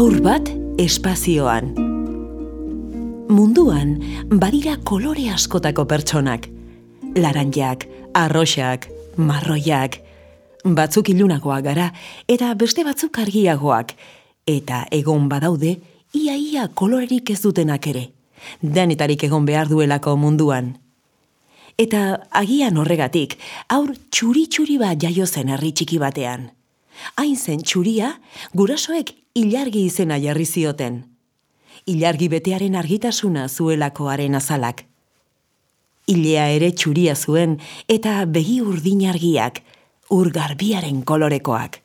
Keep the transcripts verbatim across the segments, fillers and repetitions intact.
Haur bat espazioan. Munduan badira kolore askotako pertsonak. Laranjak, arroxak, marroiak. Batzuk ilunagoak gara eta beste batzuk argiagoak. Eta egon badaude, ia-ia kolorerik ez dutenak ere. Denetarik egon behar duelako munduan. Eta agian horregatik, haur txuri-txuri bat jaio zen herri txiki batean. Hain zen txuria, gurasoek ilargi izena jarri zioten. Ilargi betearen argitasuna zuelakoaren azalak. Ilea ere txuria zuen eta begi urdin argiak, ur garbiaren kolorekoak.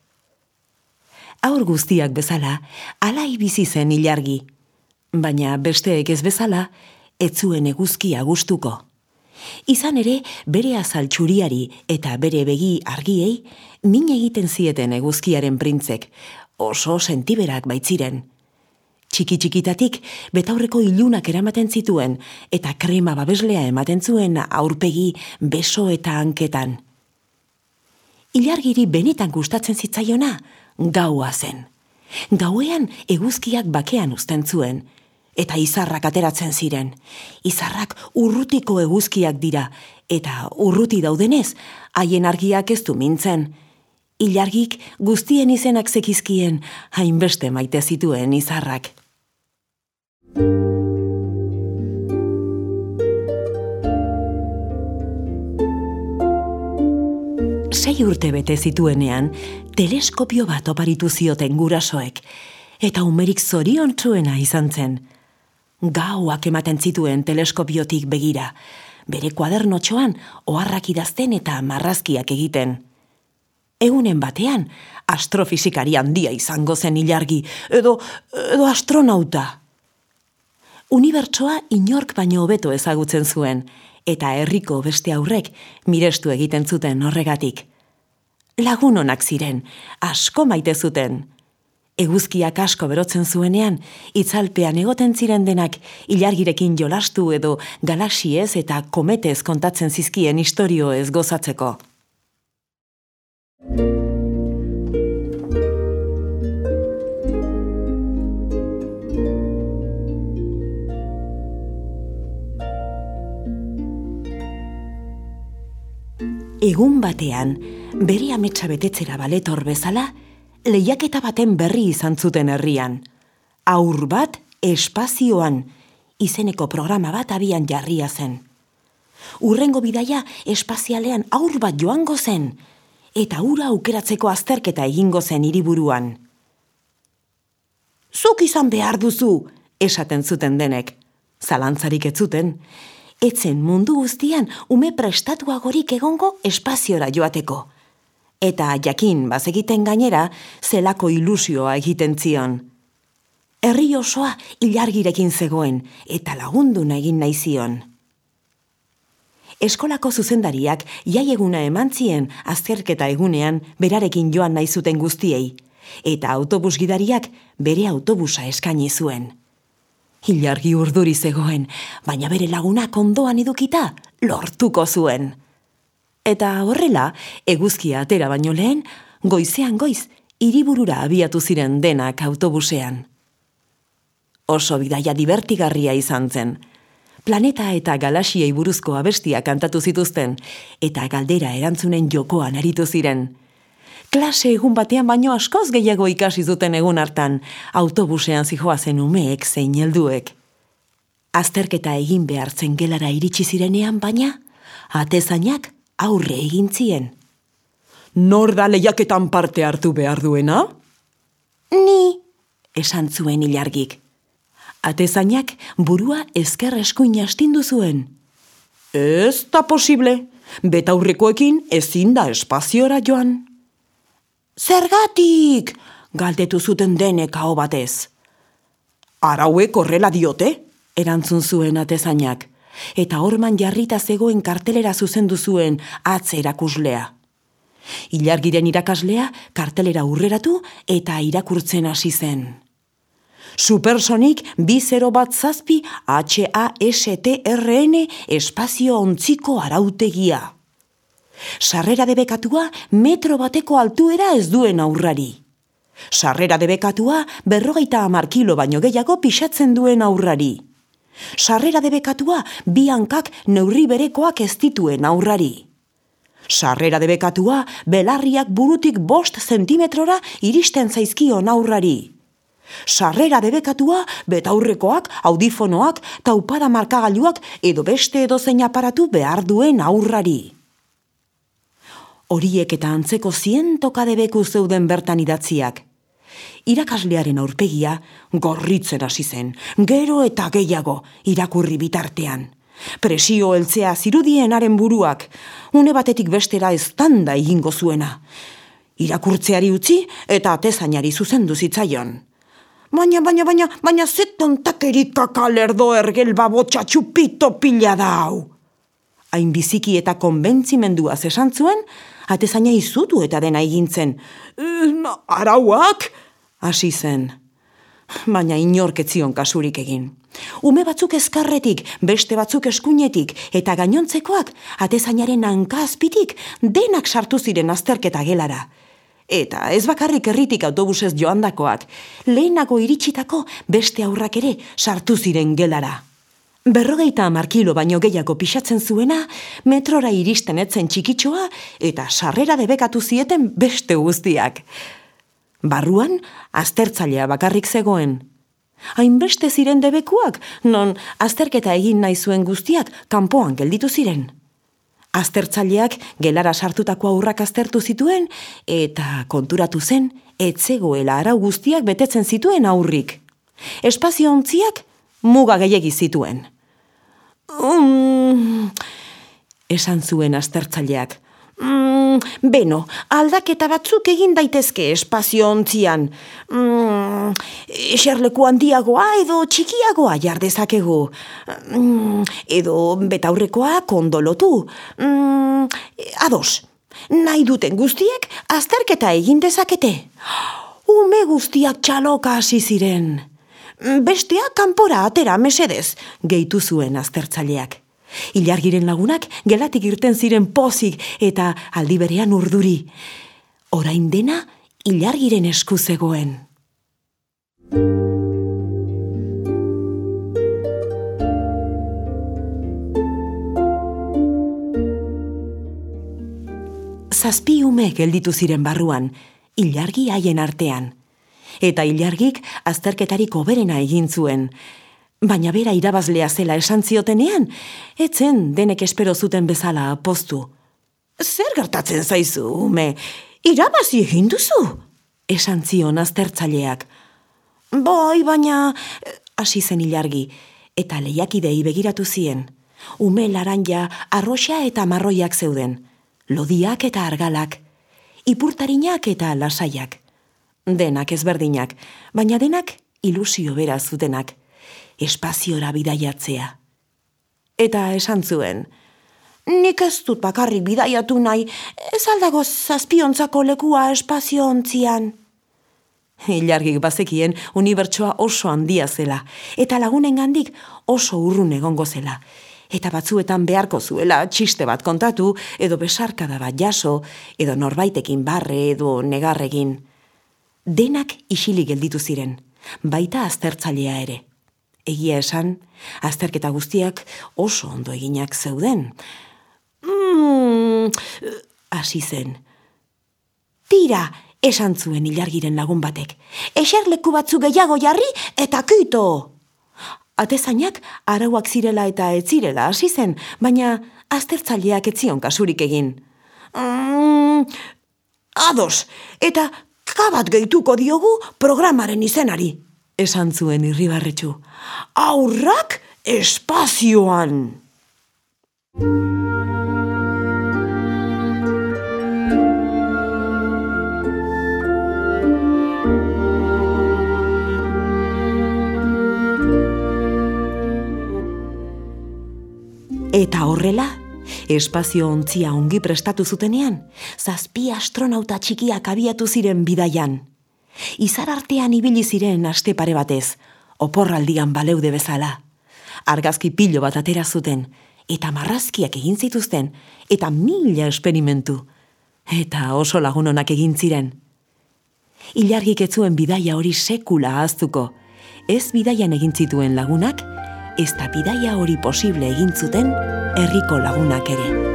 Haur guztiak bezala, alai bizi zen ilargi. Baina besteek ez bezala, ez zuen eguzkia gustuko. Izan ere, bere azal txuriari eta bere begi argiei, min egiten zieten eguzkiaren printzek, oso sentiberak baitziren. Txiki-txikitatik, betaurreko ilunak eramaten zituen, eta krema babeslea ematen zuen aurpegi, beso eta hanketan. Ilargiri benetan gustatzen zitzaiona, gaua zen. Gauean eguzkiak bakean uzten zuen, eta izarrak ateratzen ziren. Izarrak urrutiko eguzkiak dira, eta urruti daudenez, haien argiak ez du mintzen. Ilargik guztien izenak zekizkien, hainbeste maite zituen izarrak. Sei urte bete zituenean, teleskopio bat oparitu zioten gurasoek, eta umerik zoriontsuena izan zen. Gauak ematen zituen teleskopiotik begira, bere kuadernotxoan oharrak idazten eta marrazkiak egiten. Egunen batean, astrofisikari handia izango zen ilargi, edo, edo astronauta. Unibertsoa inork baino hobeto ezagutzen zuen, eta herriko beste aurrek mirestu egiten zuten horregatik. Lagun onak ziren, asko maite zuten. Eguzkiak asko berotzen zuenean, itzalpean egoten ziren denak ilargirekin jolastu edo galaxiez eta kometez kontatzen zizkien istorioez gozatzeko. Egun batean, bere ametsa betetzera baletor bezala, lehiaketa baten berri izan zuten herrian. Haur bat espazioan, izeneko programa bat abian jarria zen. Hurrengo bidaia espazialean haur bat joango zen, eta hura aukeratzeko azterketa egingo zen hiriburuan. Zuk izan behar duzu, esaten zuten denek. Zalantzarik ez zuten. Etzen mundu guztian ume prestatuagorik egongo espaziora joateko. Eta jakin bazegiten gainera, zelako ilusioa egiten zion. Herri osoa ilargirekin zegoen, eta lagunduna egin nahi zion. Eskolako zuzendariak jaieguna eman zien azterketa egunean berarekin joan nahi zuten guztiei, eta autobus gidariak bere autobusa eskaini zuen. Ilargi urduri zegoen, baina bere lagunak ondoan edukita lortuko zuen. Eta horrela, eguzkia atera baino lehen, goizean goiz, hiriburura abiatu ziren denak autobusean. Oso bidaia divertigarria izan zen. Planeta eta galaxiei buruzko abestia kantatu zituzten, eta galdera erantzunen jokoan aritu ziren. Klase egun batean baino askoz gehiago ikasi zuten egun hartan, autobusean zihoazen umeek zein helduek. Azterketa egin behartzen gelara iritsi zirenean baina, atezainak aurre egin zien. Nor da lehiaketan parte hartu behar duena? Ni, esan zuen ilargik. Atezainak burua ezker eskuin astindu zuen. Ez da posible, betaurrekoekin ezin da espaziora joan. Zergatik, galdetu zuten denek aho batez. Arauek horrela diote, erantzun zuen atezainak, eta horman jarrita zegoen kartelera zuzendu zuen atz erakuslea. Ilargiren irakaslea kartelera urreratu eta irakurtzen hasi zen. Supersonik bi zero bat zazpi H A S T R N espazio ontziko arautegia. Sarrera debekatua metro bateko altuera ez duen aurrari. Sarrera debekatua berrogeita hamar kilo baino gehiago pixatzen duen aurrari. Sarrera debekatua bi hankak neurri berekoak ez dituen aurrari. Sarrera debekatua belarriak burutik bost zentimetrora iristen zaizkion aurrari. Sarrera debekatua betaurrekoak, audifonoak, taupada markagailuak edo beste edozein aparatu behar duen aurrari. Horiek eta antzeko zientoka debeku zeuden bertan idatziak. Irakaslearen aurpegia gorritzen hasi zen, gero eta gehiago irakurri bitartean. Presio heltzea zirudien haren buruak, une batetik bestera eztanda egingo zuena. Irakurtzeari utzi eta atezainari zuzendu zitzaion. Baina, baina, baina, baina zeton takerika kalerdo ergel babotxa txupito pila da hau. Hain biziki eta konbentzimenduaz esan zuen, atezaina izutu eta dena egintzen. Arauak? Hasi zen. Baina inork ez zion kasurik egin. Ume batzuk ezkarretik, beste batzuk eskuinetik, eta gainontzekoak atezainaren hanka azpitik denak sartu ziren azterketa gelara. Eta ez bakarrik herritik autobusez joandakoak, lehenago iritsitako beste aurrak ere sartu ziren gelara. Berrogeita hamar kilo baino gehiago pixatzen zuena, metrora iristen etzen txikitxoa eta sarrera debekatu zieten beste guztiak. Barruan, aztertzailea bakarrik zegoen. Hainbeste ziren debekuak, non azterketa egin nahi zuen guztiak kanpoan gelditu ziren. Aztertzaileak gelara sartutako aurrak aztertu zituen eta konturatu zen etzegoela arau guztiak betetzen zituen aurrik. Espazio ontziak muga gehiegi zituen. Mm, esan zuen aztertzaileak. Mm, beno, aldaketa batzuk egin daitezke espazio ontzian. Mm, eserleku handiagoa edo txikiagoa jardezakegu. Mm, edo betaurrekoa kondolotu. Mm, ados, nahi duten guztiek azterketa egin dezakete. Ume guztiak txaloka hasi ziren. Bestea kanpora atera mesedez, gehitu zuen aztertzaileak. Ilargiren lagunak gelatik irten ziren pozik eta aldi berean urduri. Orain dena ilargiren esku zegoen. Zazpi ume gelditu ziren barruan, ilargi haien artean. Eta ilargik azterketarik hoberena egin zuen. Baina bera irabazlea zela esan ziotenean, etzen denek espero zuten bezala poztu. Zer gertatzen zaizu, ume? Irabazi egin duzu? Esan zion aztertzaileak. Bai, baina, hasi zen ilargi, eta lehiakidei begiratu zien. Ume laranja, arroxa eta marroiak zeuden, lodiak eta argalak, ipurtarinak eta lasaiak. Denak ezberdinak, baina denak ilusio bera zutenak. Espaziora bidaiatzea. Eta esan zuen, nik ez dut bakarrik bidaiatu nahi, ez aldago zazpiontzako lekua espaziontzian. Ilargik bazekien unibertsoa oso handia zela, eta lagunengandik oso urrun egongo zela, eta batzuetan beharko zuela txiste bat kontatu, edo besarkada bat jaso, edo norbaitekin barre edo negarregin. Denak isilik gelditu ziren, baita aztertzailea ere. Egia esan, azterketa guztiak oso ondo eginak zeuden. Mm, hasi zen. Tira, esan zuen ilargiren lagun batek. Eserleku batzu gehiago jarri eta kito. Atezainak arauak zirela eta ez zirela hasi zen, baina aztertzaileak ez zion kasurik egin. Mm, ados, eta kabat gehituko diogu programaren izenari. Esan zuen irribarretxu. Aurrak espazioan! Eta horrela, espazio ontzia ongi prestatu zutenean, zazpi astronauta txikiak abiatu ziren bidaian. Izar artean ibili ziren aste pare batez, oporraldian baleude bezala. Argazki pilo bat atera zuten, eta marrazkiak egin zituzten, eta mila esperimentu. Eta oso lagun onak egin ziren. ilargik ez zuen bidaia hori sekula ahaztuko. Ez bidaian egin zituen lagunak, ez da bidaia hori posible egin zuten herriko lagunak ere.